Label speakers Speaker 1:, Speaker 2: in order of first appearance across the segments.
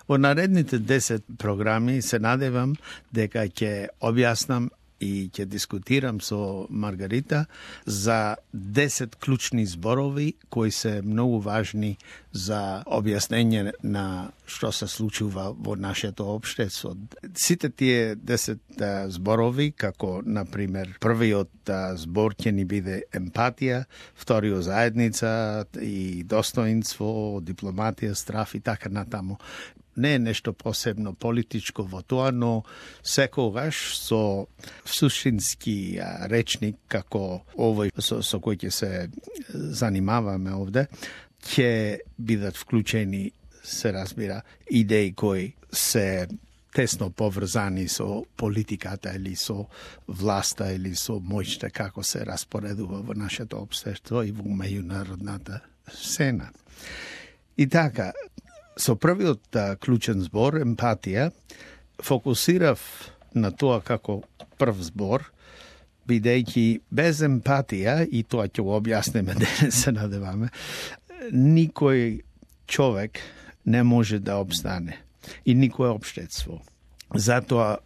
Speaker 1: Во наредните 10 програми се надевам дека ќе објаснам и ќе дискутирам со Маргарита за 10 клучни зборови кои се многу важни за објаснење на што се случува во нашето општество. Сите тие 10 зборови, како, например, првиот збор ќе ни биде емпатија, вториот заедница и достоинство, дипломатија, страф и така натаму. Не е нешто посебно политичко во тоа, но секогаш со суштински речник, како овој со кој ќе се занимаваме овде, ќе бидат вклучени, се разбира, идеи кои се тесно поврзани со политиката или со власта или со моќта како се распоредува во нашето општество и во меѓународната сцена. И така, со првиот клучен збор, емпатија, фокусирав на тоа како прв збор, бидејќи без емпатија, и тоа ќе го објасниме денес, се надеваме, никој човек не може да обстане и никое општество. Затоа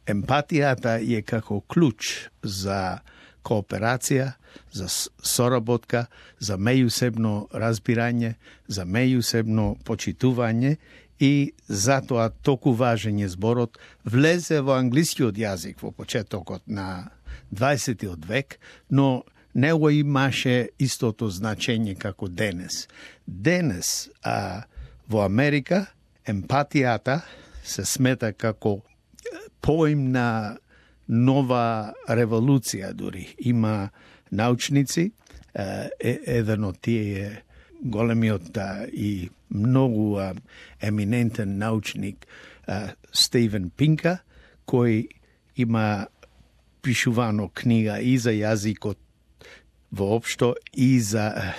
Speaker 1: емпатијата е како клуч за кооперација, за соработка, за меѓусебно разбирање, за меѓусебно почитување и затоа толку важен е зборот. Влезе во англискиот јазик во почетокот на 20 век, но не го имаше истото значење како денес. Денес во Америка емпатијата се смета како поим на нова револуција дури. Има научници, еден од тие е големиот и многу еминентен научник Стивен Пинка, кој има пишувано книга и за јазикот воопшто и за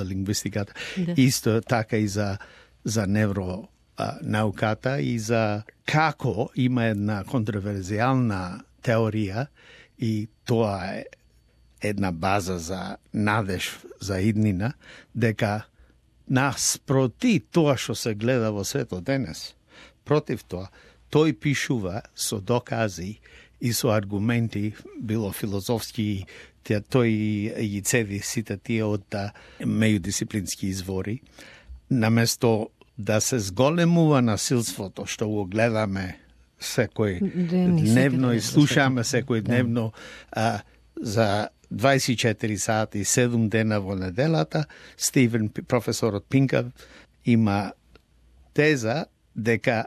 Speaker 1: лингвистиката, исто така и за невронауката и за како има една контроверзијална теорија и тоа е една база за надеж за иднина, дека наспроти тоа што се гледа во светот денес, против тоа, тој пишува со докази и со аргументи, било филозофски, тој ги цеди сите тие од меѓудисциплински извори, наместо да се зголемува насилството, што го гледаме секој дневно и слушаме секој дневно за 24 сати и 7 дена во неделата, професорот Пинка има теза дека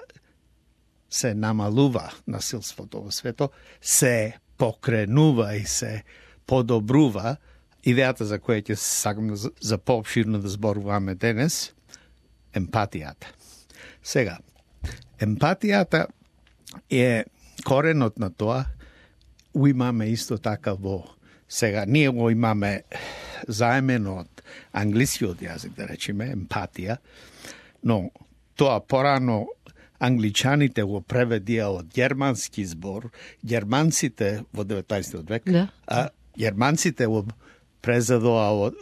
Speaker 1: се намалува насилството во свето, се покренува и се подобрува. Идејата за која ќе сакам за поопширно да зборуваме денес, емпатијата. Сега, емпатијата е коренот на тоа, имаме исто така во сега, ние го имаме заемено од англискиот јазик, да речеме, емпатија, но тоа порано англичаните го преведија од германски збор, германците во 19 век, а германците го презадоа од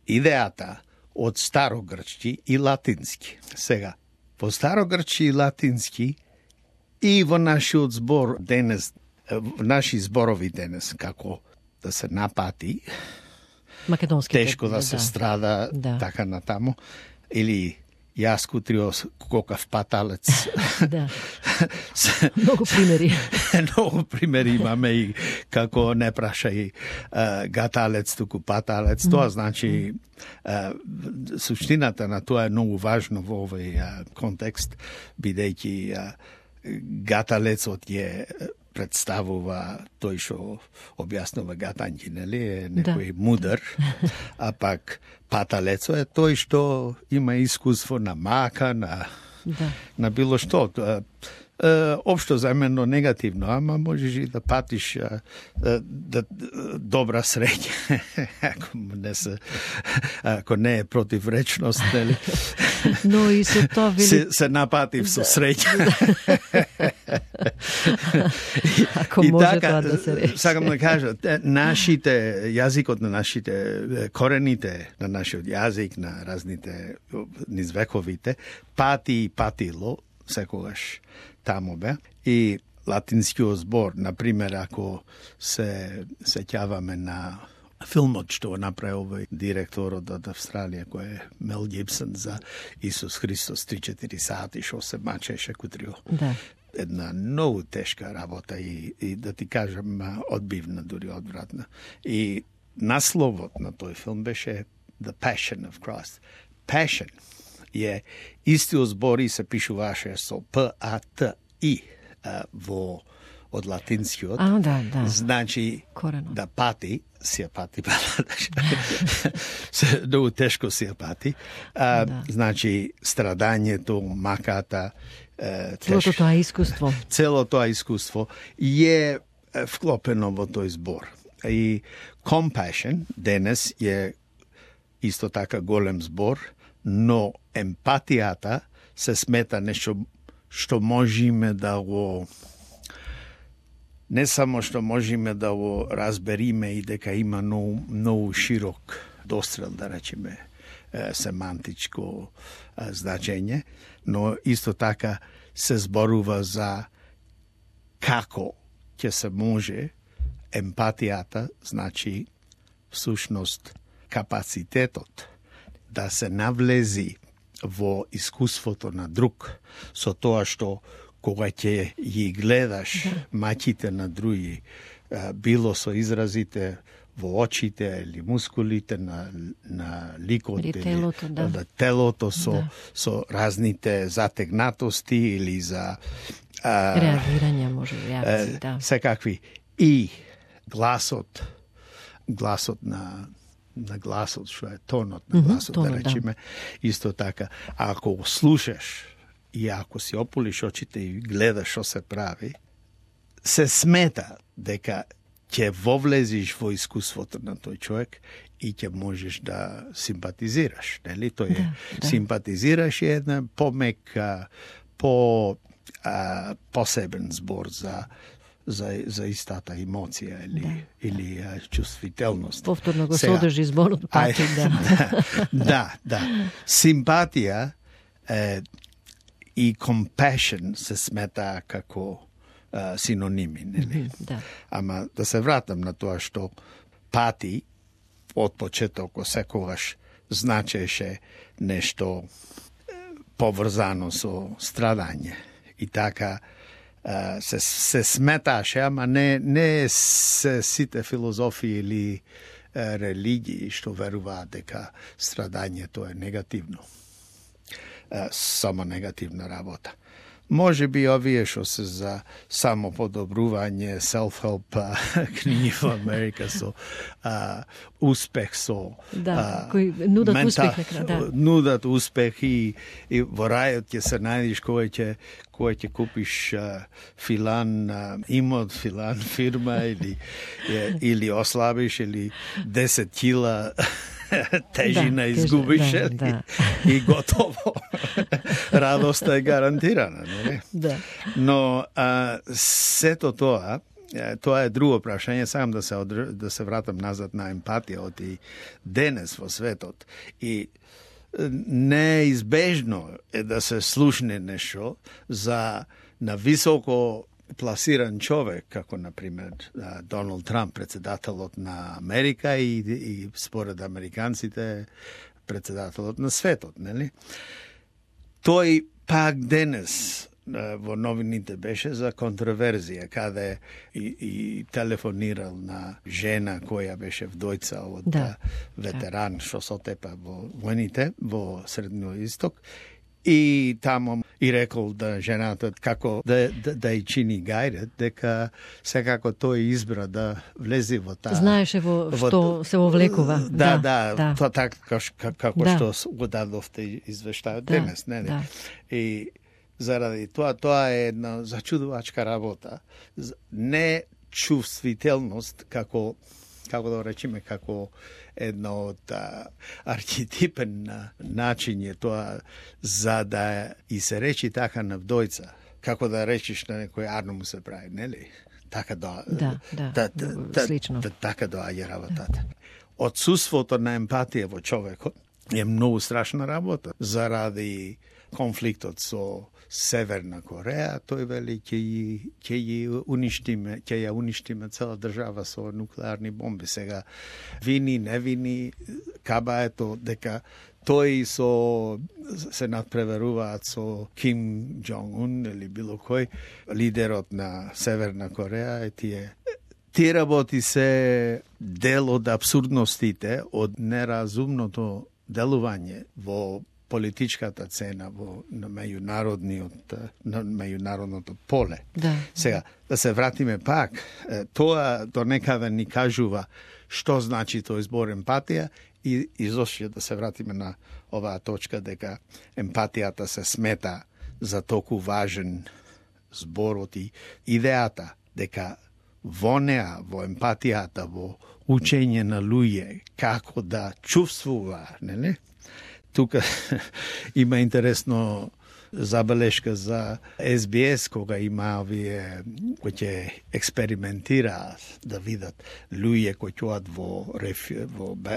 Speaker 1: идејата од старогрчки и латински. Сега, во старогрчки и латински и во нашиот збор денес, наши зборови денес, како да се напати, тешко да се страда, така натаму, или јас кутрио кокав паталец.
Speaker 2: Да. Многу примери.
Speaker 1: Многу примери имаме и како не прашај гаталец, туку паталец. Тоа значи суштината на тоа е многу важно во овој контекст, бидејќи гаталецот е представува тој што објаснува гатањи, нели, е некој мудар, а пак паталецо е тој што има искуство на мака, на било што. Општо заемено негативно, ама можеш и да патиш добра среќа, ако не е противречност, нели?
Speaker 2: Но и со тоа
Speaker 1: се напатив со среќа.
Speaker 2: Ако може тоа да се рече.
Speaker 1: Сакам да кажа, нашите јазикот на нашите корените на нашиот јазик, на разните низ вековите, пати и патило секогаш таму бе. И латинскиот збор, например, ако се сеќаваме на филмот што направи овој директорот од Австралија, кој е Мел Гибсон, за Исус Христос 3-4 сати, што се мачеше кутрио.
Speaker 2: Да.
Speaker 1: Една многу тешка работа и да ти кажам, одбивна, дури одвратна. И насловот на тој филм беше The Passion of Christ. Passion е истиот збор и се пишуваше со P-A-T-I во од латинскиот.
Speaker 2: Да.
Speaker 1: Значи
Speaker 2: корено.
Speaker 1: Да пати, се пати, многу тешко се пати. Значи страдањето, маката,
Speaker 2: целото тоа искуство.
Speaker 1: Целото тоа искуство е вклопено во тој збор. И compassion денес е исто така голем збор, но емпатијата се смета нешто што можеме да го не само што можеме да го разбериме и дека има многу широк дострел, да речеме, семантичко значење, но исто така се зборува за како ќе се може емпатијата, значи всушност капацитетот да се навлези во искуството на друг со тоа што кога ќе ги гледаш мачите на други, било со изразите во очите или мускулите на ликот или
Speaker 2: телото,
Speaker 1: телото со разните затегнатости или за
Speaker 2: реагирање, може реакции, да.
Speaker 1: Секакви. И гласот на гласот, што е тонот на гласот, да речеме, исто така. Ако го слушаш и ако си ополиш очите и гледаш што се прави, се смета дека ќе вовлезиш во искуството на тој човек и ќе можеш да симпатизираш, нели? Тој е симпатизираш е една помек, посебен збор за истата емоција или чувствителност.
Speaker 2: Повторно го содржи зборот пати,
Speaker 1: да. Симпатија и compassion се смета како синоними, нели? Ама да се вратам на тоа што пати од почеток секогаш значеше нешто поврзано со страдање. И така се сметаше, ама не се сите филозофии или религии што веруваат дека страдањето е негативно. Само негативна работа. Може би овие што се за самоподобрување, self-help книги во Америка со успех, со
Speaker 2: кои нудат успех,
Speaker 1: нудат успех и во рајот ќе се најдеш кој ќе купиш филан имот, филан фирма или ослабиш или 10 кила тежина изгубиш и готово. Радоста е гарантирана, нели? Но сето тоа е друго прашање, сакам да се вратам назад на емпатијот и денес во светот. И неизбежно е да се слушне нешто на високо пласиран човек, како, например, Доналд Трамп, председателот на Америка и според американците, председателот на светот, нели? Тој пак денес во новините беше за контроверзија, каде и телефонирал на жена која беше вдојца од ветеран што се отепа во војните во Средниот Исток. И тамо и рекол да жената како да ја чини гајдет, дека секако тој избра да влезе во таа.
Speaker 2: Знаеше што се вовлекува.
Speaker 1: Да, тоа така како што го дадовте извештајот денес, нели? И заради тоа е една зачудувачка работа. Не чувствителност како да речеме, како едно од архетипен начин е тоа за да и се речи така на вдојца. како да речеш на некој арно му се прави, нели? Така
Speaker 2: слично.
Speaker 1: Така доаѓа работата. Отсуството на емпатија во човекот е многу страшна работа заради конфликтот со Северна Кореја. Тој вели ќе ја уништиме цела држава со нуклеарни бомби. Сега вини, не вини, каба ето дека тој се надпреверуваат со Ким Џонг-ун или било кој лидерот на Северна Кореја и тие работи се дел од абсурдностите, од неразумното делување во политичката цена на меѓународното поле.
Speaker 2: Да.
Speaker 1: Сега, да се вратиме пак, тоа до некаде ни кажува што значи тој збор емпатија и изошто да се вратиме на оваа точка дека емпатијата се смета за толку важен зборот и идејата дека во неа, во емпатијата, во учење на луѓе како да чувствува, нели? Тука има интересно забелешка за СБС, кога има овие кои ќе експериментираат да видат луѓе кои ќоат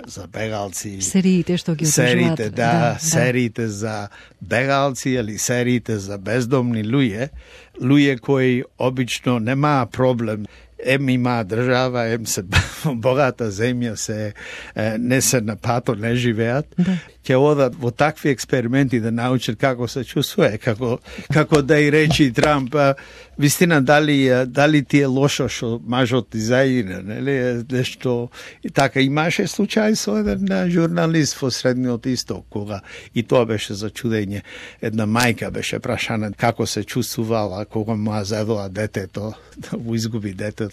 Speaker 1: за бегалци.
Speaker 2: Сериите што ги отложуваат.
Speaker 1: Сериите за бегалци или сериите за бездомни луѓе кои обично немаа проблем. Има држава, се богата земја, не се на пато, не живеат. Ќе одат во такви експерименти да научат како се чувствува, како да и речи Трамп, вистина дали ти е лошо што мажот изајде, нели? Нешто и така имаше случај со еден журналист во Средниот Исток, кога и тоа беше за чудење. Една мајка беше прашана како се чувствувала кога му завела детето, да му изгуби детето.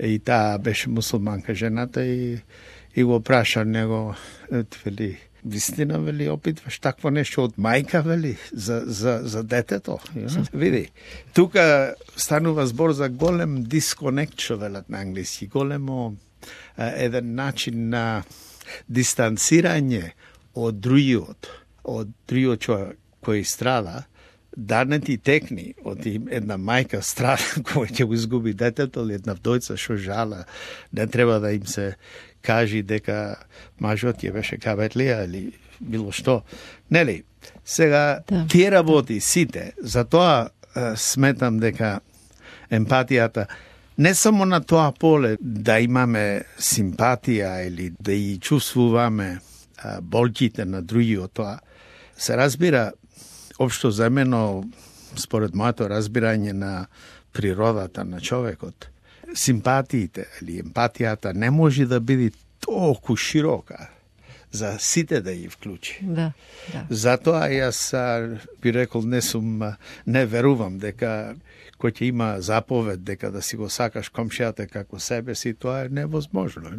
Speaker 1: И таа беше мусулманка жената и го праша него, вели, вистина, вели, опитваш такво нешто од мајка, вели, за детето. Види, тука станува збор за голем дисконект, што велат на англиски, големо еден начин на дистанцирање од другиот човек кој страда, да не ти текни од една мајка страда која ќе го изгуби детето или една вдојца што жала, не треба да им се кажи дека мажот ќе беше кабетлија или било што. Нели? Сега, тие работи сите, затоа сметам дека емпатијата не само на тоа поле да имаме симпатија или да и чувствуваме болките на другиот, тоа се разбира општо земено, според моето разбирање на природата на човекот, симпатиите или емпатијата не може да биде толку широка за сите да ја вклучи.
Speaker 2: Да.
Speaker 1: Затоа јас би рекол не верувам дека кој ќе има заповед дека да си го сакаш комшијата како себе си, тоа е невозможно.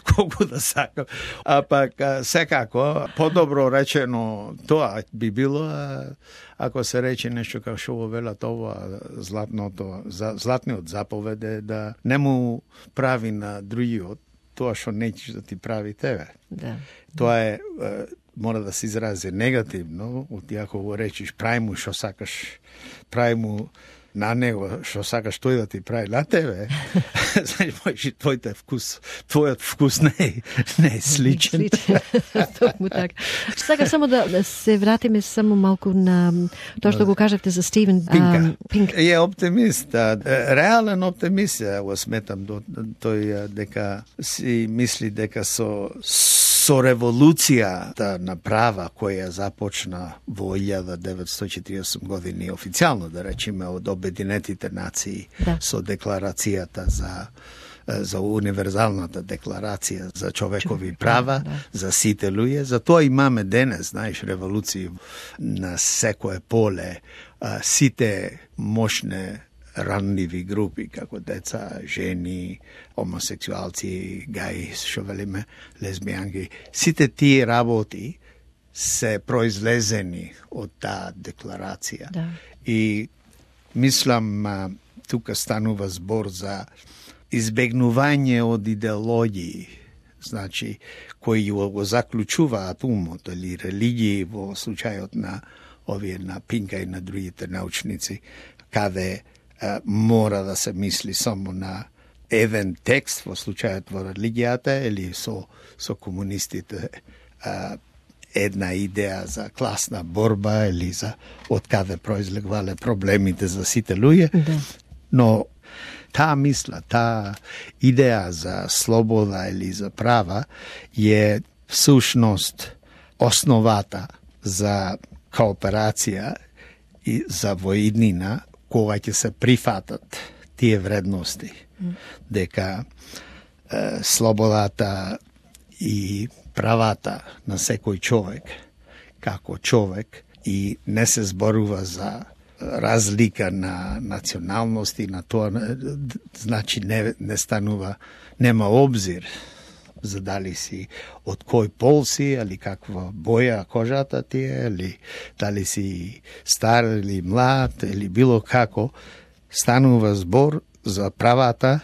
Speaker 1: Колку да сакам. А пак секако подобро речено тоа би било ако се рече нешто како што го велат ова златниот заповед е да не му прави на другиот тоа што неќеш да ти прави тебе.
Speaker 2: Да.
Speaker 1: Тоа е мора да се изрази негативно, ако го речиш прави му што сакаш, прави му на него што сакаш тој да ти прави на тебе, значи твојот вкус не е сличен.
Speaker 2: Токму така. Сакам само да се вратиме само малку на тоа што го кажавте за Стивен Пинк.
Speaker 1: Е оптимист, реален оптимист, го сметам тој дека си мисли дека со револуцијата на права која започна во 1948 години официјално, да речеме, од Обединетите нации, со декларацијата за универзалната декларација за човекови права, за сите луѓе. Затоа имаме денес, знаеш, револуции на секое поле, сите мощне ранливи групи, како деца, жени, хомосексуалци, гаи, што велиме, лесбијанки. Сите тие работи се произлезени од таа декларација.
Speaker 2: Да.
Speaker 1: И мислам, тука станува збор за избегнување од идеологии, значи, кои го заклучуваат умот или религии во случајот на овие на Пинка и на другите научници, каде мора да се мисли само на еден текст, во случајот во религијата, или со комунистите една идеја за класна борба, или за од каде произлегвале проблемите за сите луѓе.
Speaker 2: Да.
Speaker 1: Но таа мисла, таа идеја за слобода или за права е всушност основата за кооперација и за воиднина, кога ќе се прифатат тие вредности, дека слободата и правата на секој човек, како човек, и не се зборува за разлика на националности, на тоа, значи не станува, нема обзир за дали си од кој пол си, или каква боја кожата ти е, или дали си стар или млад, или било како, станува збор за правата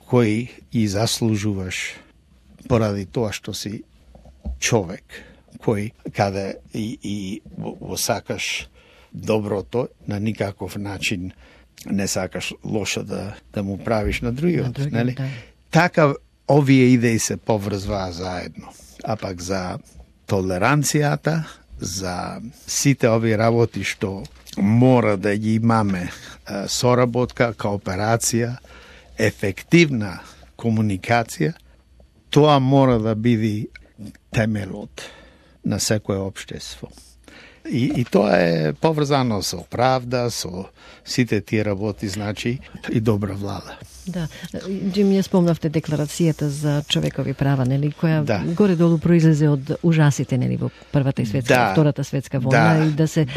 Speaker 1: кои и заслужуваш поради тоа што си човек, кој каде и го сакаш доброто, на никаков начин не сакаш лошо да му правиш на другиот, нели? Да. Така овие идеи се поврзваа заедно. А пак за толеранцијата, за сите овие работи што мора да ги имаме, соработка, кооперација, ефективна комуникација, тоа мора да биде темелот на секое општество. И тоа е поврзано со правда, со сите тие работи, значи и добра влада.
Speaker 2: Да, Джим, ја спомнавте декларацијата за човекови права, нели, која горе-долу произлезе од ужасите, нели, во Првата и светска, Втората светска војна, и да се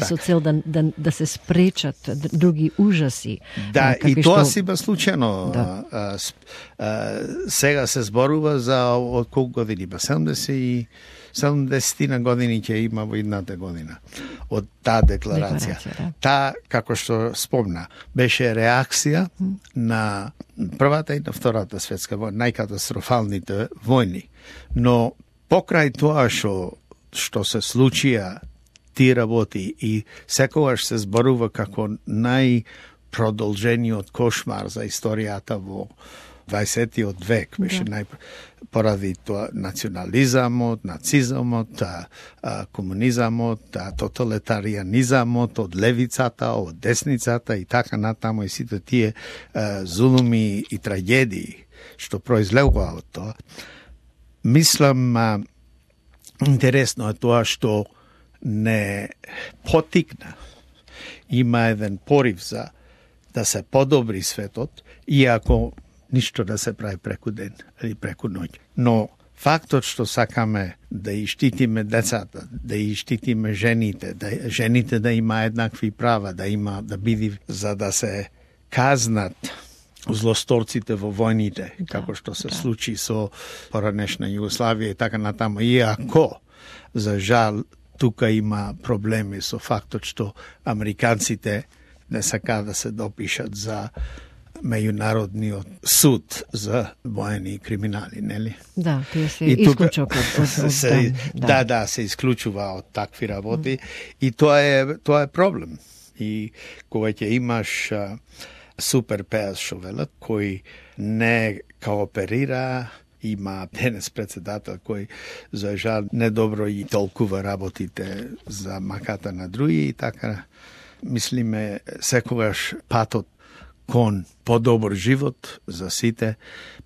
Speaker 2: со цел да се спречат други ужаси.
Speaker 1: Да, и тоа си ба случајно. Да. Сега се зборува за од колку години, 70 години ќе има во едната година од таа декларација. Да. Таа, како што спомна, беше реакција на Првата и на Втората светска војна, најкатастрофалните војни. Но покрај тоа што се случија тие работи и секогаш се зборува како најпродолжениот кошмар за историјата во 20. век, беше поради тоа национализамот, нацизамот, комунизамот, тоталитарианизамот од левицата, од десницата и така натаму, и сите тие зулуми и трагедии што произлегува од тоа. Мислам, интересно е тоа што не потикна. Има еден порив за да се подобри светот, иако ништо да се прави преку ден или преку ноќ. Но фактот што сакаме да и штитиме децата, да и штитиме жените, жените да има еднакви права, да биде, за да се казнат злосторците во војните, како што се случи со поранешна Југославија и така натаму. Иако, за жал, тука има проблеми со фактот што американците не сакаат да се допишат за меѓународниот суд за воени криминали, нели?
Speaker 2: Да, тие се исклучок од
Speaker 1: се исклучува од такви работи и тоа е проблем. И кога ќе имаш супер пеас шовелот кој не кооперира, има денес председател кој за жал недобро и толкува работите за маката на други и така мислиме секогаш патот кон подобар живот за сите,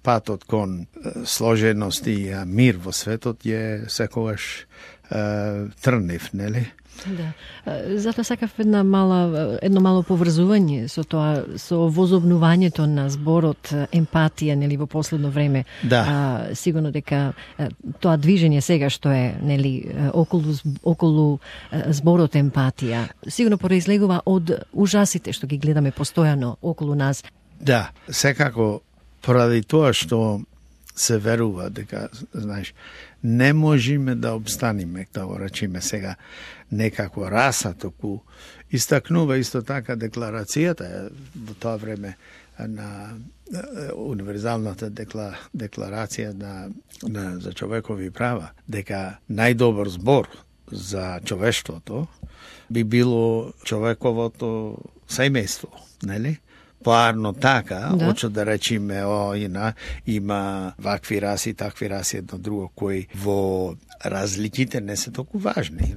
Speaker 1: патот кон сложеност и мир во светот е секогаш трнив, нели?
Speaker 2: Да. Затоа сакав едно мало поврзување со тоа, со возобнувањето на зборот емпатија, нели, во последно време.
Speaker 1: Да.
Speaker 2: Сигурно дека тоа движење сега што е, нели, околу зборот емпатија, сигурно произлегува од ужасите што ги гледаме постојано околу нас.
Speaker 1: Да, секако поради тоа што се верува дека, знаеш, не можеме да обстаниме, да го речеме сега, некаква раса, току истакнува исто така декларацијата во тоа време на универзалната декларација за човекови права, дека најдобар збор за човештвото би било човековото семејство, нели? Поарно така, очо да речеме, има вакви раси, такви раси, едно друго, кои во разликите не се толку важни,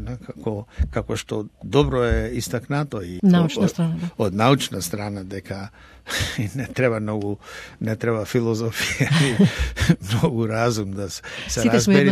Speaker 1: како што добро е истакнато и
Speaker 2: научна страна,
Speaker 1: од научна страна, дека не треба филозофија и многу разум да се разбери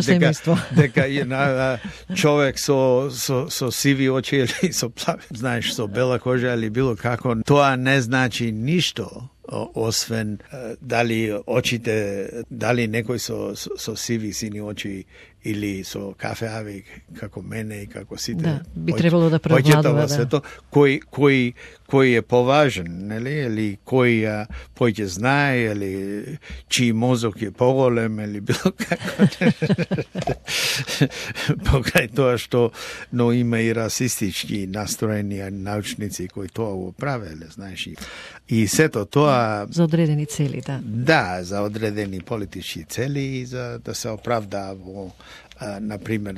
Speaker 1: дека човек со сиви очи или со плави, знаеш, со бела кожа или било како, тоа не значи ништо, освен дали очите, дали некој со сиви сини очи или со кафеави како мене и како сите.
Speaker 2: Би требало да превладува
Speaker 1: сето, кој е поважен, нели, или кој поќе знае, или чиј мозок е поголем, или било како. Покрај тоа што, но има и расистички настроени научници кои тоа го правеле, знаеш. И сето тоа
Speaker 2: за одредени цели, да.
Speaker 1: Да, за одредени политички цели и за да се оправдаа во например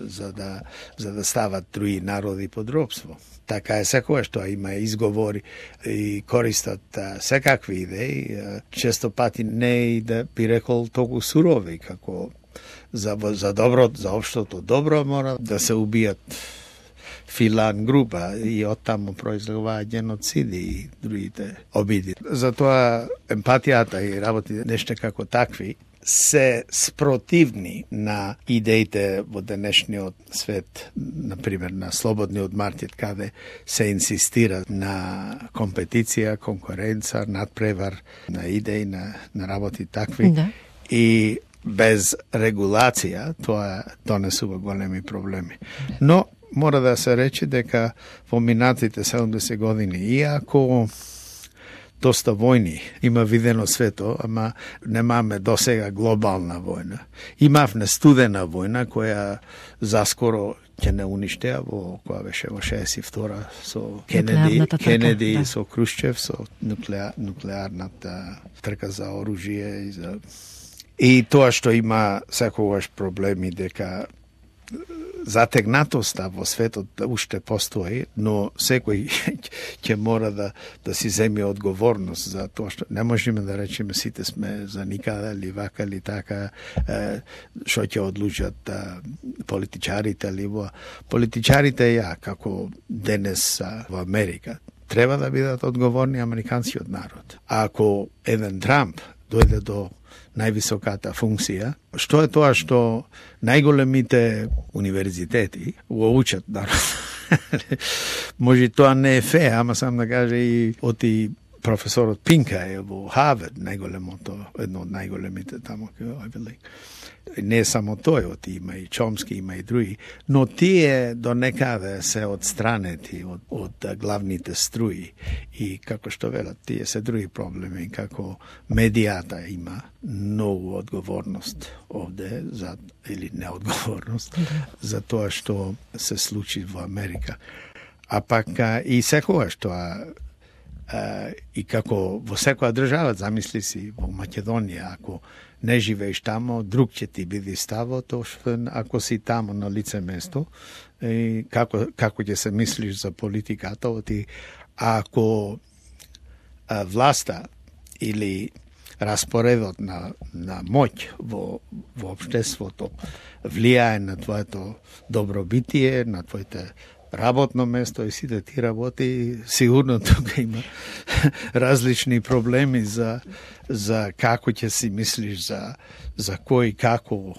Speaker 1: за да стават други народи под робство. Така е секоја што има изговори и користат секакви идеи, често пати не и да би рекол толку сурови, како за добро, за општото добро мора да се убијат филан група и оттаму произлегуваат геноциди и другите обиди. Затоа емпатијата и работи нешто како такви се спротивни на идеите во денешниот свет, например на слободниот маркет, каде се инсистира на компетиција, конкуренца, надпревар, на идеи, на работи такви.
Speaker 2: Да.
Speaker 1: И без регулација тоа донесува големи проблеми. Но мора да се рече дека во минатите 70 години, иако доста војни има видено свето, ама немаме досега глобална војна. Имавме студена војна која заскоро ќе не уништеа која беше во 62 со Кенеди да. Со Крушчев, со нуклеарната трка за оружје и тоа што има секогаш проблеми дека затегнатоста во светот уште постои, но секој ќе мора да си земе одговорност за тоа што не можеме да речеме сите сме за никада или вака или така, што ќе одлучат политичарите или политичарите како денес во Америка треба да бидат одговорни американскиот народ. А ако еден Трамп дојде до највисоката функција, што е тоа што најголемите универзитети го учат народ. Може тоа не е фе, ама сам да каже и оти професорот Пинка е во Харвард, едно од најголемите таму, не само тој, има и Чомски, има и други, но тие до некаде се одстранети од главните струи и како што велат, тие се други проблеми, како медијата има многу одговорност овде, или неодговорност, за тоа што се случи во Америка. А пак и секогаш тоа и како во секоја држава, замисли си во Македонија, ако не живееш тамо, друг ќе ти биде ставот, ако си тамо на лице место, и како ќе се мислиш за политиката, ако власта или распоредот на моќ во општеството влијае на твоето добробитие, на твоите работно место и сите ти работи, сигурно тука има различни проблеми за како ќе си мислиш за кој како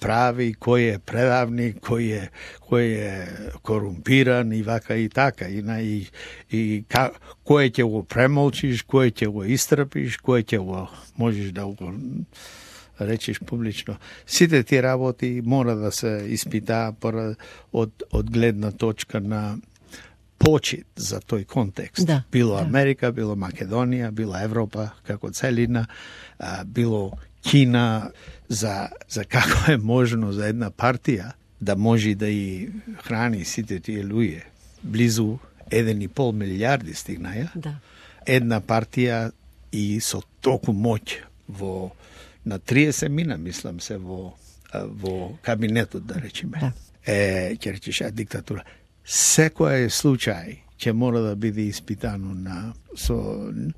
Speaker 1: прави, кој е предавник, кој е корумпиран и вака и така. И кој ќе го премолчиш, кој ќе го истрпиш, кој ќе го можеш да го речиш публично. Сите ти работи мора да се испитаа од гледна точка на почит за тој контекст.
Speaker 2: Да,
Speaker 1: било Америка, било Македонија, било Европа како целина, било Кина, за како е можно за една партија да може да и храни сите тие луѓе. Близу 1,5 милијарди стигнаја.
Speaker 2: Да.
Speaker 1: Една партија и со толку моќ на 30 мина, мислам се, во кабинетот, да речеме.
Speaker 2: Да.
Speaker 1: ќе речеш диктатура. Секој случај ќе мора да биде испитано со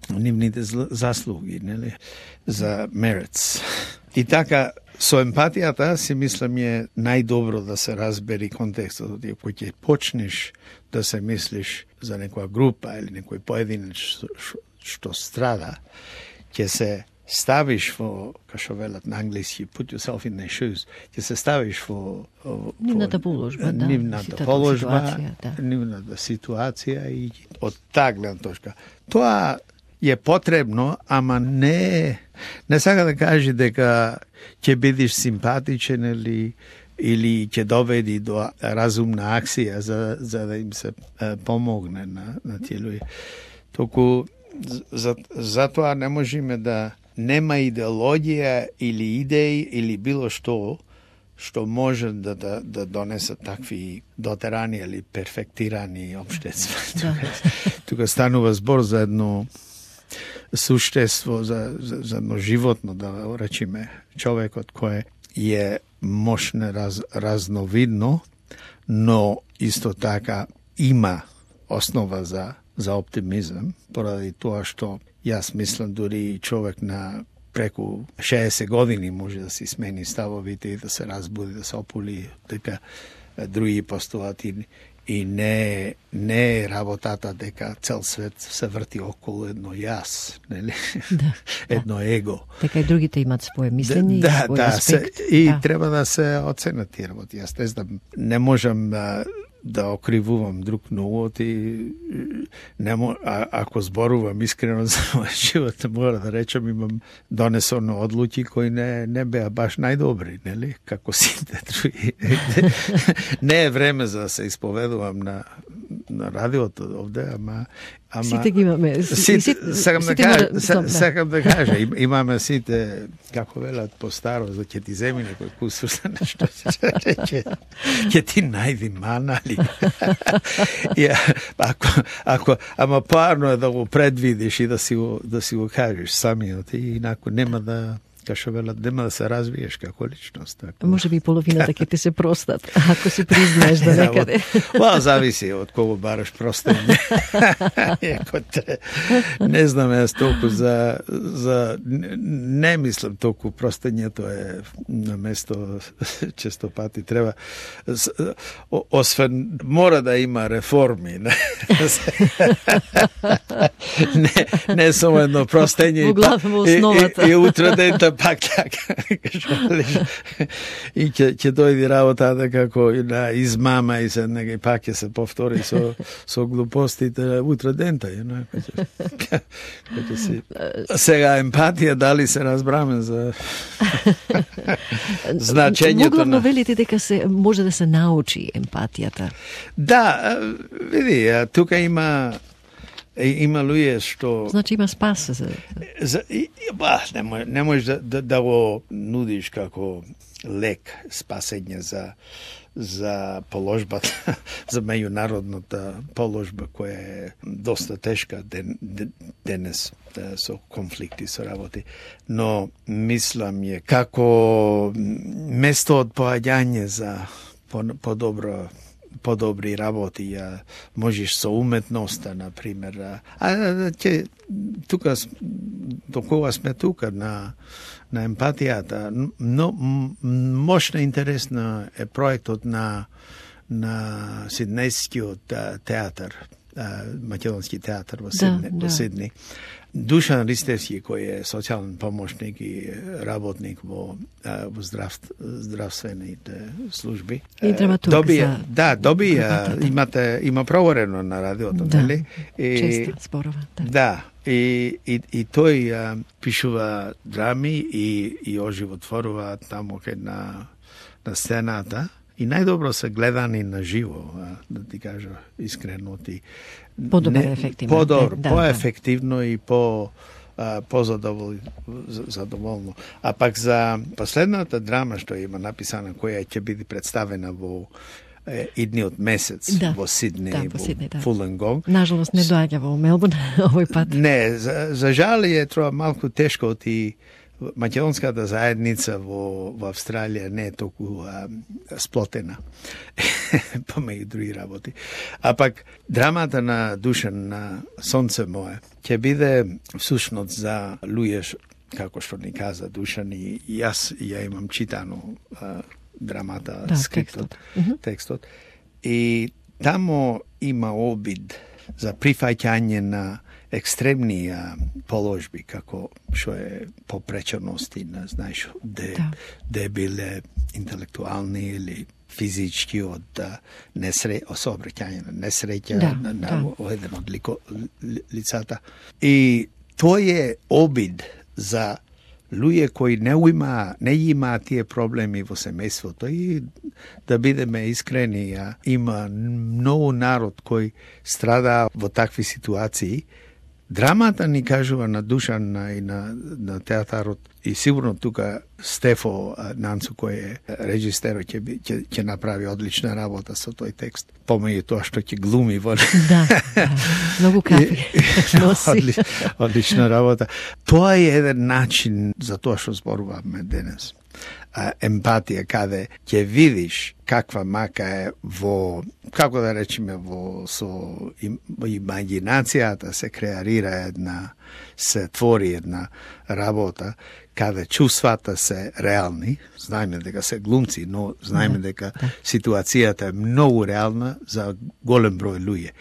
Speaker 1: нивните заслуги, нели, за merits. И така, со емпатијата си мислам е најдобро да се разбери контекстот, кој ќе почнеш да се мислиш за некоја група или некој поединеч што страда, ќе се ставиш во, како велат на англиски, put yourself in their shoes, ќе се ставиш во
Speaker 2: нивната положба,
Speaker 1: нивната ситуација и од таа гледна точка. Тоа е потребно, ама не сака да каже дека ќе бидеш симпатичен или ќе доведи до разумна акција за да им се помогне на тие луѓе. Току затоа не можеме да нема идеологија или идеи или било што може да донесе такви дотерани или перфектирани општества. Тука станува збор за едно суштество, за едно животно, да речеме, човекот кој е мощно разновидно, но исто така има основа за оптимизам, поради тоа што јас мислам дури човек на преку 60 години може да си смени ставовите и да се разбуди, да се опули, дека други постулати и не е работата дека цел свет се врти околу едно јас, нели?
Speaker 2: Да,
Speaker 1: едно его.
Speaker 2: Така и другите имат своje мислење и свој аспект.
Speaker 1: И треба да се оценат тие работи. Јас не знам, не можам да окривувам друг новот и ако зборувам искрено за мојот живот, мора да речам имам донесено одлуки кои не беа баш најдобри, нели? Како сите други. Не е време за да се исповедувам на радиото овде, ама
Speaker 2: сите ги имаме.
Speaker 1: Сакам да кажа, имаме сите, како велат по старо, за ќе ти земи некој кусур за нешто, ќе ти најди мана ли. Ама парно е да го предвидиш и да си го кажеш самиот, и инаку нема да, кашо велат, нема да се развиеш како личност. Така.
Speaker 2: Може би половината ќе ти се простат, ако се признаеш да некаде.
Speaker 1: Зависи од кого бараш простење. Не знам јас толку за не мислам толку простењето е на место, често пати треба, освен мора да има реформи. Не само едно простење и утре дента пак така. И ќе дојди работата како на измама и се нега пак ќе се повтори со глупостите утре дента. Сега емпатија, дали се разбраме за значењето
Speaker 2: Главно велите дека може да се научи емпатијата.
Speaker 1: Да, види, тука има луѓе што...
Speaker 2: Значи има спас.
Speaker 1: Не можеш да го нудиш како лек спасење за положбата, за меѓународната положба која е доста тешка денес со конфликти, со работи. Но мислам е како место од поаѓање за подобри работи, можеш со уметноста, например. Тука, докога сме тука на емпатијата, но мощно интересна е проектот на Сиднејскиот театар, Македонски театар во Сидни. Душан Ристевски, кој е социјален помошник и работник во здравствените служби.
Speaker 2: И драматург.
Speaker 1: Има проверено на радиото, нели?
Speaker 2: Често зборува.
Speaker 1: Да. И тој пишува драми и оживотворува таму кај на сцената. И најдобро се гледани на живо, да ти кажа искрено. По-ефективно и по-задоволно. А пак за последната драма што има написана, која ќе биде представена во идниот месец во Сидни, во Фуленгонг.
Speaker 2: Нажалост не доаѓа во Мелбурн овој пат.
Speaker 1: Не, за жал е тоа малку тешко, македонската заедница во Австралија не е толку сплотена помеѓу други работи. А пак драмата на Душан на Сонце мое ќе биде всушност за луѓе, како што ни каза Душан, и јас ја имам читано драмата, текстот. И тамо има обид за прифаќање на екстремни положби, како што е попречености, не знаеш, де биле интелектуални или физички од сообраќање на несреќа на еден од лицата. И тој е обид за луѓе кои не имаат тие проблеми во семејството, и да бидеме искрени, има многу народ кој страда во такви ситуации. Драмата ни кажува на Душан и на театарот, и сигурно тука Стефо Нанцу, кој е режисерот, ќе направи одлична работа со тој текст. Помеѓу тоа што ќе глуми во
Speaker 2: многу кафи носи.
Speaker 1: Одлична работа. Тоа е еден начин за тоа што зборуваме денес. Емпатија, каде ќе видиш каква мака е во, како да речеме, со имагинацијата се креарира се твори една работа, каде чувствата се реални. Знаеме дека се глумци, но знаеме дека ситуацијата е многу реална за голем број луѓе.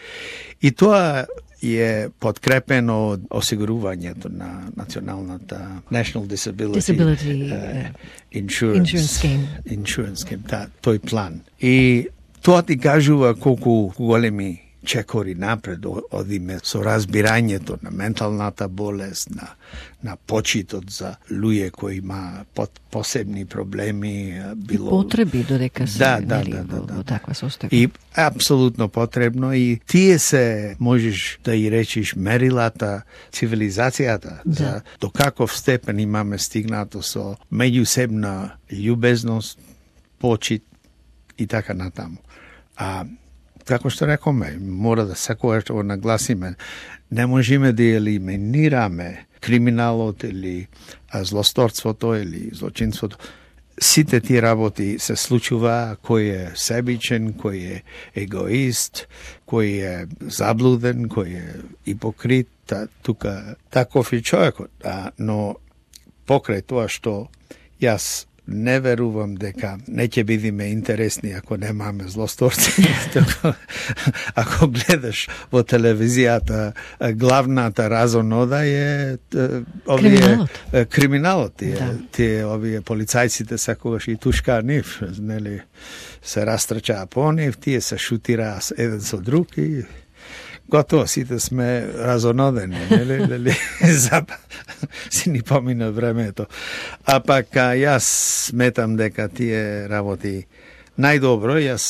Speaker 1: И тоа е подкрепено од осигурувањето на националната National Disability Insurance Scheme, тој план. И тоа ти кажува колку големи чекори напред одиме со разбирањето на менталната болест, на почитот за луѓе кои има посебни проблеми, било
Speaker 2: потреби додека се во таква состојба.
Speaker 1: И апсолутно потребно, и тие се, можеш да и речиш, мерилата, цивилизацијата за до каков степен имаме стигнато со меѓусебна љубезност, почит и така натаму. Како што рекоме, мора да секогаш го нагласиме, не можеме да елиминираме криминалот или злосторството или злочинството. Сите тие работи се случува, кој е себичен, кој е егоист, кој е заблуден, кој е ипокрит, тука таков е човекот. Но покрај тоа што јас не верувам дека не ќе бидеме интересни ако немаме злосторци. Ако гледаш во телевизијата, главната разонода е криминалот. Тие овие полицајците секогаш и тушкаа нив, нели, се растрчаа по нив, тие се шутираа еден со друг и готово, сите сме разонодени, нели? Си ни помина времето. А пак јас сметам дека тие работи најдобро, јас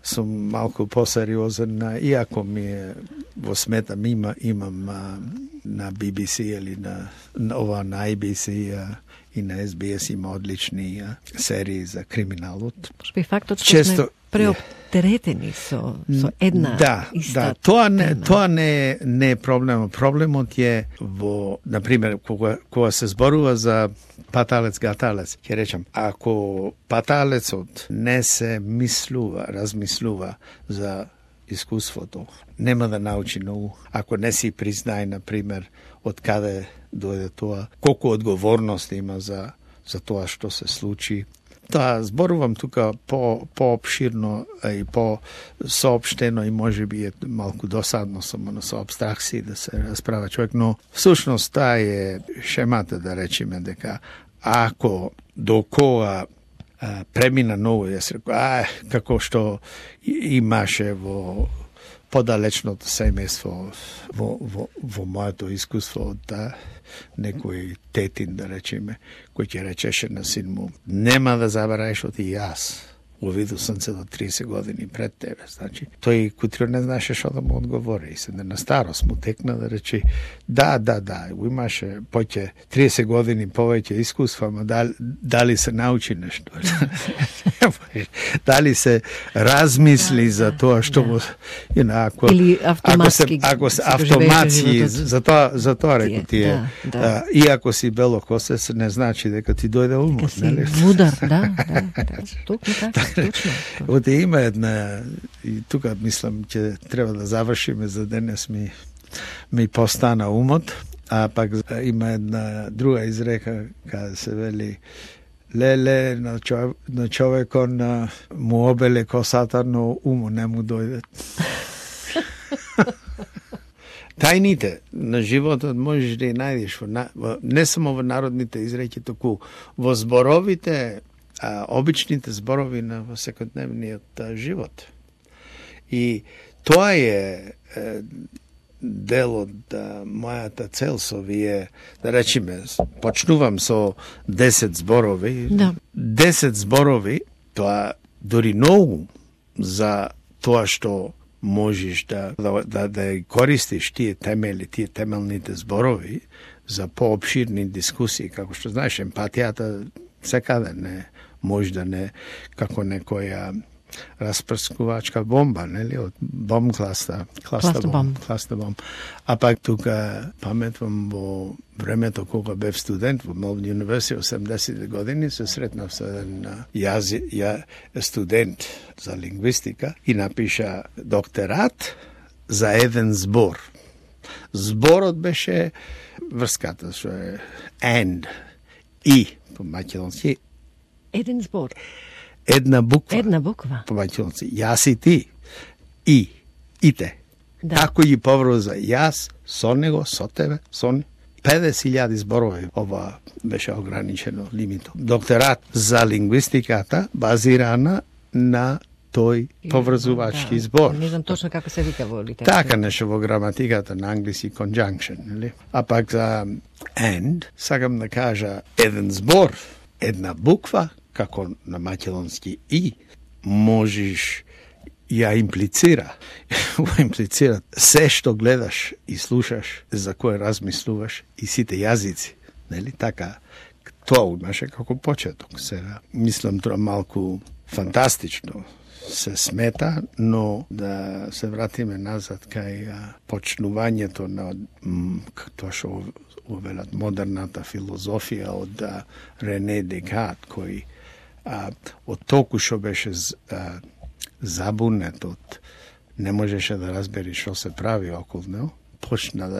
Speaker 1: сум малку посериозен, иако ми е во сметам, имам на BBC или на ABC и на SBS има одлични серии за криминалот.
Speaker 2: Шпи фактот што сме преоптеретени со една иста тема.
Speaker 1: Тоа не е проблем. Проблемот е во, например, кога се зборува за паталец-гаталец, ќе речам, ако паталецот не се размислува за искуството, нема да научи многу. Ако не си признае, например, од каде дојде тоа, колку одговорност има за тоа што се случи. Зборувам тука по-обширно и по-соопштено, и може би е малку досадно само со абстракции да се расправа човек, но всушност таа е шемата, да речеме, дека ако до кога премина ново, јас рекол, како што имаше во подалечното семејство, во моето искуство од некој тетин, да речеме, кој ќе речеше на син му, нема да забравиш оти јас увидел съм се до 30 години пред тебе. Значи, тој кутрио не знаеше што да му одговори. И се на старост му текна да рече да, имаше поќе 30 години повеќе искуства, ама дали се научи нешто? Дали се размисли за тоа што му...
Speaker 2: Или автоматски.
Speaker 1: Ако се автоматски, за тоа реку тие. И ако си белокосец, не значи дека ти дојде умот, нели?
Speaker 2: Мудар, да. Точно така.
Speaker 1: Оте има една, и тука мислам, че треба да завршиме за денес ми постана умот, а пак има една друга изрека, каде се вели леле на човекон му обеле косата, но умо не му дојде. Тајните на животот можеш да ја најдеш не само во народните изреки, току во зборовите, обичните зборови на секојдневниот живот. И тоа е дел од мојата цел со вие, да речеме, почнувам со 10 зборови.
Speaker 2: Да.
Speaker 1: 10 зборови, тоа дори многу за тоа што можеш да користиш тие темели, тие темелните зборови за пообширни дискусии, како што знаеш, емпатијата секаде не може да не како некоја распрскувачка бомба, нели, од бомб класта бомб. А пак тука паметвам во времето кога бев студент во Melbourne University 80 години, се сретнав со еден студент за лингвистика и напиша докторат за еден збор. Зборот беше врската што е and и по македонски.
Speaker 2: Еден збор.
Speaker 1: Една буква. По македонски. Јас и ти. И. Ите.
Speaker 2: Да.
Speaker 1: Како ги поврза јас, со него, со тебе, со него. 50.000 зборови. Ова беше ограничено лимитот. Докторат за лингвистиката базирана на тој поврзувачки збор.
Speaker 2: Не знам точно како се вика во литература.
Speaker 1: Така нешто во граматиката на англиски conjunction, нели? А пак за and, сакам да кажа еден збор, една буква, како на македонски и, можеш ја имплицира. Имплицира се што гледаш и слушаш, за кое размислуваш и сите јазици, нели? Така, тоа имаше како почеток. Сега, мислам тоа малку фантастично се смета, но да се вратиме назад кај почнувањето на тоа што увелат модерната филозофија од Рене Декарт, кој од толку што беше забунет, не можеше да разбери што се прави околу него, почна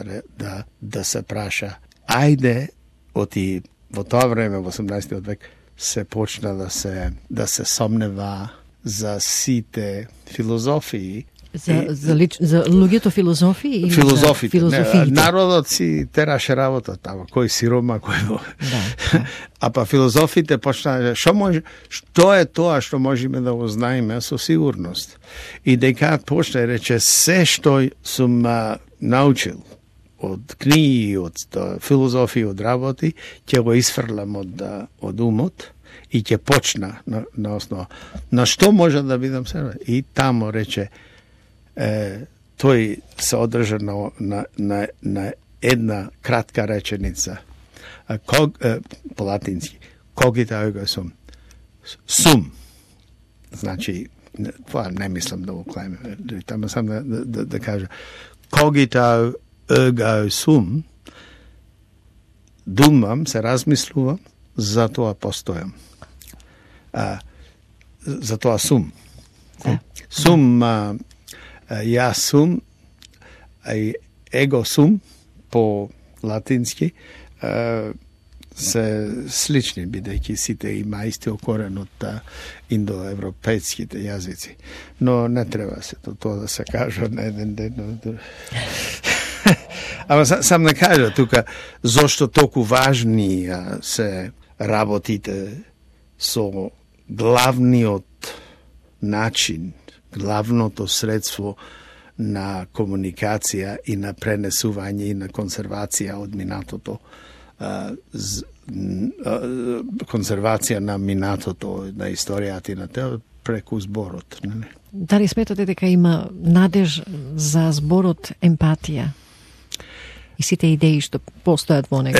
Speaker 1: да се праша. Ајде, во тоа време, во 18 век, се почна да се сомнева за сите филозофии.
Speaker 2: За луѓето филозофии или
Speaker 1: филозофите.
Speaker 2: филозофиите?
Speaker 1: Народот си тераше работа тама, кој си Рома, кој
Speaker 2: Да.
Speaker 1: А па филозофите почнаа, што е тоа што можеме да го знаеме со сигурност. И Декарт почна и рече, се што сум научил од книги, од филозофија, од работи, ќе го исфрлам од умот и ќе почна на основа. На што може да бидам себе? И тамо рече, тој се одржа на една кратка реченица. По латински. Когита его сум. Сум. Значи, това не мислам да го клеме. Тамо сам да кажа. Когита его сум. Думам, се размислувам, за тоа постојам. За тоа сум. Сум, јас сум, его сум, по латински, се слични, бидејќи сите има истиот корен од индоевропејските јазици. Но не треба се тоа да се кажа на еден ден. Ама сам да кажа тука, зошто толку важни се работите со главниот начин, главното средство на комуникација и на пренесување и на конзервација од минатото, конзервација на минатото, на историјата и на тео, преку зборот. Нели?
Speaker 2: Дали сметате дека има надеж за зборот емпатија? И сите идеи што постојат во него?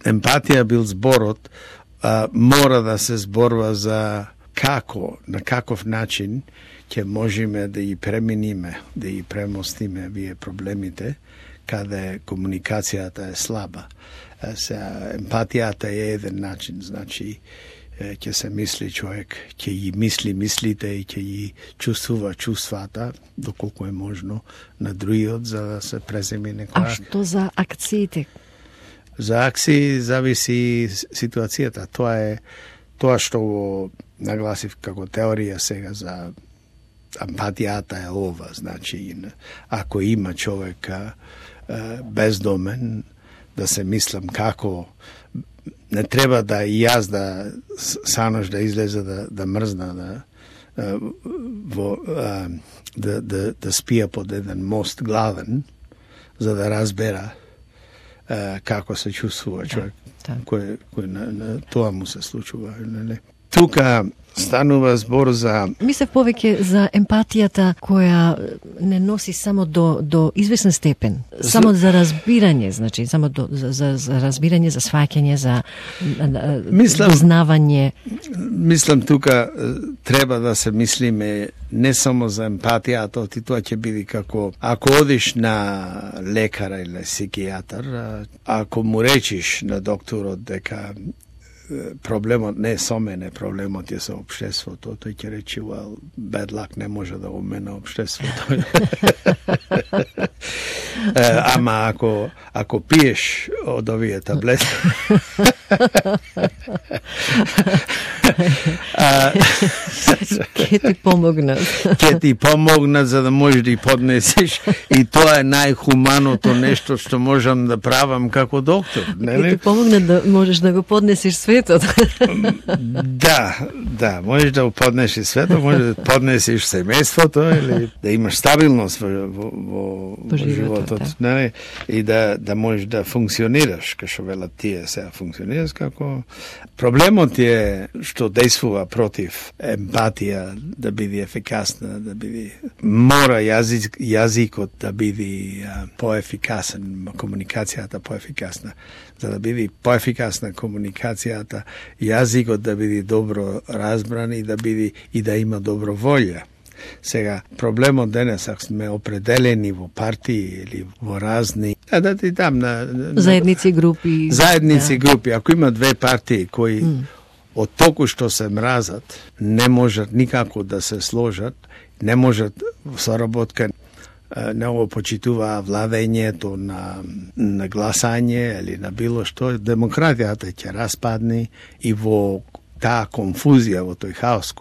Speaker 2: Емпатија бил зборот, мора да се зборува за на каков начин ќе можеме да ги преминиме, да ги премостиме вие проблемите, каде комуникацијата е слаба. Емпатијата е еден начин, значи ќе се мисли човек, ќе ги мисли мислите и ќе ги чувствува чувствата, доколку е можно, на другиот, за да се преземи некоја. А што за акциите?
Speaker 1: За акции зависи ситуацијата. Тоа што го нагласив како теорија сега за емпатијата е ова, значи ако има човек бездомен, да се мислам како не треба да и јас да санош да излезе да мрзна да спија под еден мост главен, за да разбера како се чувствува човек, кој на тоа му се случува. Тука станува збор за...
Speaker 2: Мислев повеќе за емпатијата која не носи само до известен степен, само за разбирање, значи, само за разбирање, за сваќање, за узнавање.
Speaker 1: Мислам тука треба да се мислиме не само за емпатијата, и тоа ќе биде како ако одиш на лекара или психијатар, ако му речиш на докторот дека проблемот не е со мене, проблемот е со општеството, тој ќе рече, well, bad luck не може да го мене општеството. Ама ако пиеш од овие таблети,
Speaker 2: ќе ти помогнат.
Speaker 1: Ќе ти помогнат за да можеш да ги поднесеш, и тоа е најхуманото нешто што можам да правам како доктор.
Speaker 2: Ќе ти помогнат да можеш да го поднесеш светот.
Speaker 1: Да, можеш да го поднесеш светот, можеш да поднесеш семејството или да имаш стабилност во животот, не? И да можеш да функционираш, како велат тие сега функционираш како. Проблемот е што действува против емпатија да биде ефикасна, да биде мора јазикот да биде поефикасен, комуникацијата поефикасна. За да биде поефикасна комуникацијата, јазикот да биде добро разбран и да има добро волја. Сега, проблемот денес, ако сме определени во партии или во разни... Да ти дам
Speaker 2: заедници групи.
Speaker 1: Групи. Ако има две партии кои од толку што се мразат, не можат никако да се сложат, не можат соработка, не го почитува владењето на гласање или на било што, демократијата ќе распадне и во таа конфузија, во тој хаос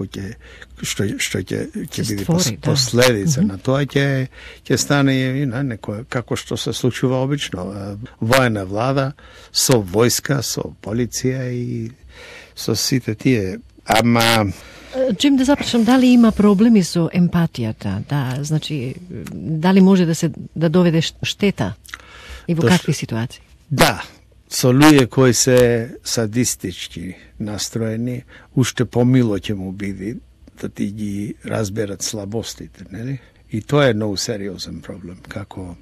Speaker 1: што ќе биде последица на тоа ќе стане некој како што се случува обично, воена влада со војска, со полиција и со сите тие. Ама
Speaker 2: Джим, да започнам, дали има проблеми со емпатијата? Да, значи, дали може да доведе штета и во какви ситуации?
Speaker 1: Да, со луѓе кои се садистички настроени, уште помило ќе му биде да ти ги разберат слабостите, нели? И тоа е многу сериозен проблем, како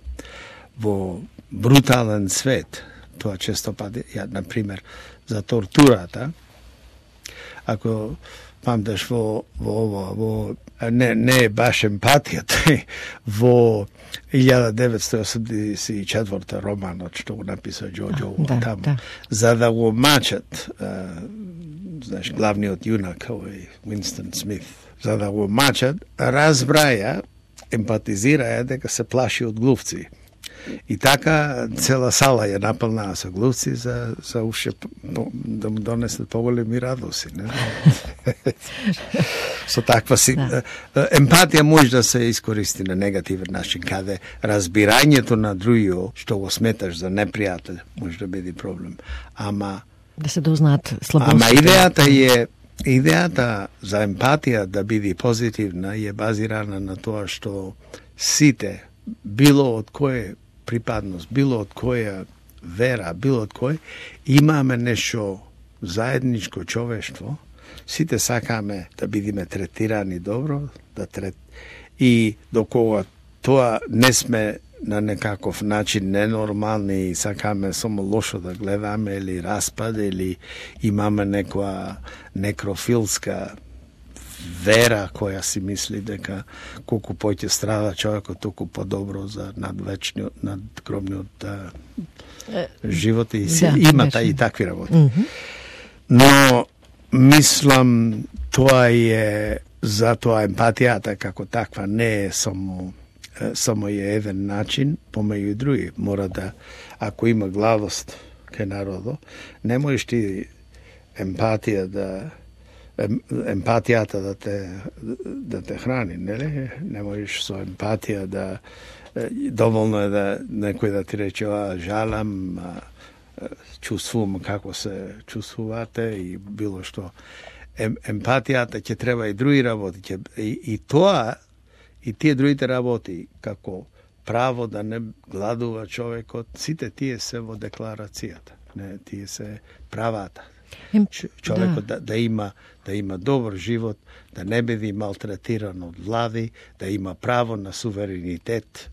Speaker 1: во брутален свет, тоа често пати, например, за тортурата, ако памтеш не е баш емпатијата, во 1984 романот што го написа Џорџ Оруел таму, за да го мачат, знаеш, главниот јунак, Уинстон Смит, за да го мачат, разбраја, емпатизираја дека се плаши од глувци. И така цела сала ја наполнаа со глувци за уште да му донесат поголеми радоси. Со таква си... Емпатија може да се искористи на негативен начин, каде разбирањето на другиот, што го сметаш за непријател, може да биде проблем. Ама...
Speaker 2: Да се дознаат слабостите.
Speaker 1: Ама идејата за емпатија да биде позитивна е базирана на тоа што сите, било од кој припадност, било од која вера, било од кој, имаме нешто заедничко човештво Сите сакаме да бидиме третирани добро, и докога тоа не сме на некаков начин ненормални и сакаме само лошо да гледаме или распад или имаме некоја некрофилска вера која си мисли дека колку поќе страда човекот, толку подобро за надгробниот живот и има и такви работи. Но мислам тоа е затоа емпатијата како таква не е само е еден начин, помеѓу и други. Мора да, ако има гладост кај народо, не можеш ти емпатијата да те храни, нели? Не можеш со емпатија да доволно е да некој да ти рече жалам, чувствувам како се чувствувате и било што. Емпатијата ќе треба и други работи, и тоа и тие другите работи, како право да не гладува човекот, сите тие се во декларацијата. Не, тие се правата. Човекот да има добар живот, да не биде малтретиран од влади, да има право на суверенитет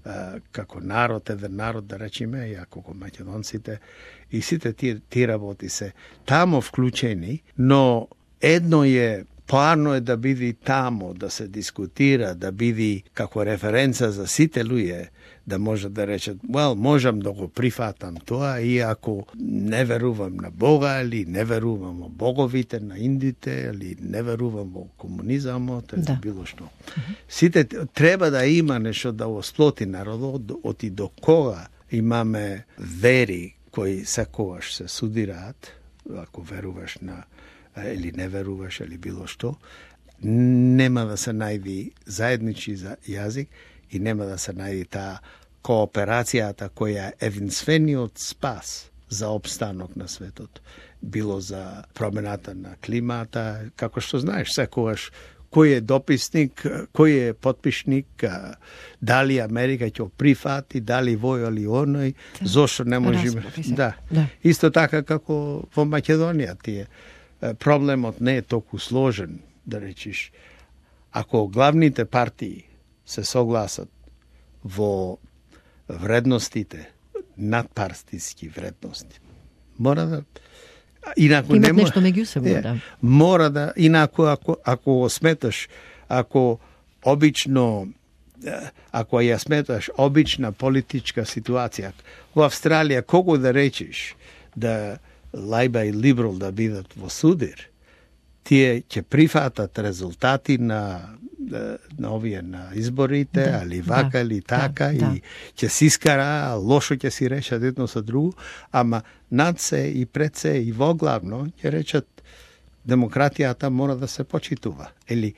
Speaker 1: како народ, еден народ, да речеме, и како македонците, и сите тие работи се тамо вклучени, но едно е, поарно е да биде тамо, да се дискутира, да биде како референца за сите луѓе, да може да речат, можам да го прифатам тоа, иако не верувам на Бога, или не верувам во боговите на индите, или не верувам во комунизамот, или било што. Сите треба да има нешто да осплоти народот, оти до кога имаме вери кои секогаш се судираат, ако веруваш на или не веруваш, или било што, нема да се најди заедничи за јазик и нема да се најди таа кооперацијата која е единствениот спас за опстанок на светот. Било за промената на климата, како што знаеш, секогаш кој е дописник, кој е потпишник, дали Америка ќе прифати, дали вој или оној, зошто не можеме. Да. Исто така како во Македонија тие. Проблемот не е толку сложен, да речиш. Ако главните партии се согласат во вредностите, надпартиски вредности, мора да инаку
Speaker 2: имат нешто меѓу себе, да.
Speaker 1: Мора да, инаку ако го сметаш, ако ја сметаш обична политичка ситуација, во Австралија кого да речеш да Лајба и Либерал да бидат во судир, тие ќе прифатат резултати на овие на изборите, али вака или така, и ќе се искара, лошо ќе си решат едно со друго, ама над се и пред се и воглавно ќе речат демократијата мора да се почитува. Или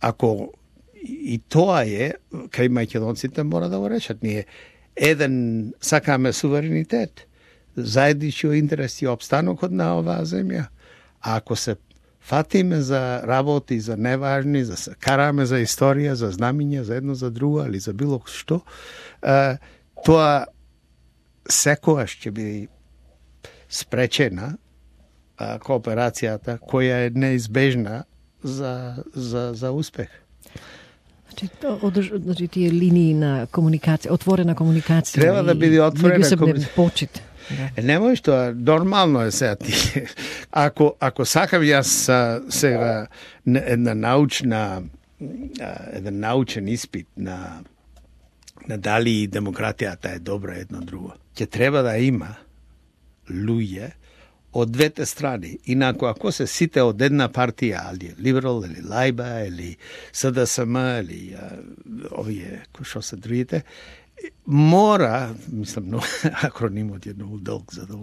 Speaker 1: ако и тоа е, кај македонците мора да го речат, ние еден сакаме суверенитет, заеднички интерес и обстанокот на оваа земја. А ако се фатиме за работи, за неважни, за се караме за историја, за знамиња, за едно за друго, или за било што, тоа секогаш ќе биде спречена кооперацијата која е неизбежна за успех.
Speaker 2: Значи тие линии на комуникација, отворена комуникација.
Speaker 1: Треба да биде отворена
Speaker 2: комуникација. Почит.
Speaker 1: Не можеш тоа, нормално е сега ти. Ако сакам јас сега еден научен испит на дали демократијата е добра едно друго, ќе треба да има луѓе од двете страни. Инако ако се сите од една партија, али Либерал, или Лајба, или СДСМ, или овие, што се другите, мора, мислам, акронимот е многу долг за да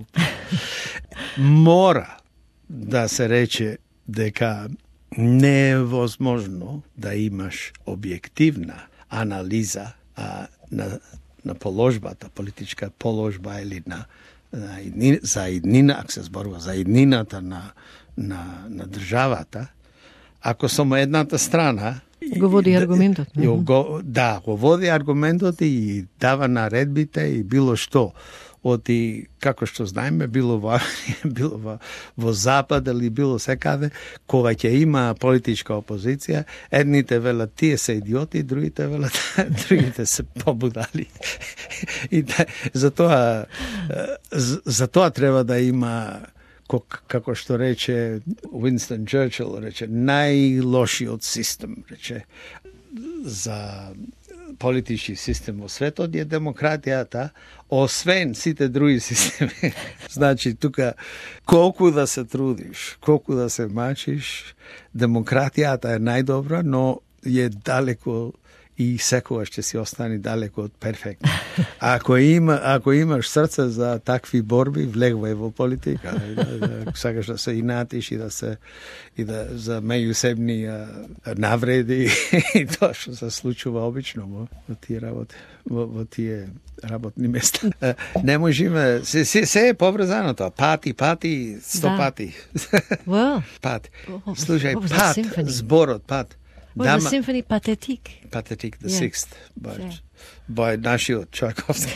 Speaker 1: мора да се рече дека не е возможно да имаш објективна анализа на положбата, политичка положба или за иднина, ако се зборува за иднината на државата, ако само едната страна
Speaker 2: го води аргументот.
Speaker 1: Го води аргументот и дава наредбите и било што оти, како што знаеме, било во Запад или било секаде, кога ќе има политичка опозиција, едните велат тие се идиоти, другите велат другите се побудали. И затоа треба да има, како што рече Уинстон Черчил, рече најлошиот систем, рече за политички систем во светот е демократијата, освен сите други системи. Значи, тука, колку да се трудиш, колку да се мачиш, демократијата е најдобра, но е далеко и секогаш ќе си остани далеко од перфектно. Ако имаш срце за такви борби, влегвај во политика. Сакаш да се инатиш и за меѓусебни навреди и тоа што се случува обично во тие работни места. Не можеме, се е поврзано тоа. Пати, 100 пати. Пат. Слушај, пат, зборот, пат.
Speaker 2: Well, the symphony Pathetique.
Speaker 1: Pathetique, the sixth, by нашиот Чайковски.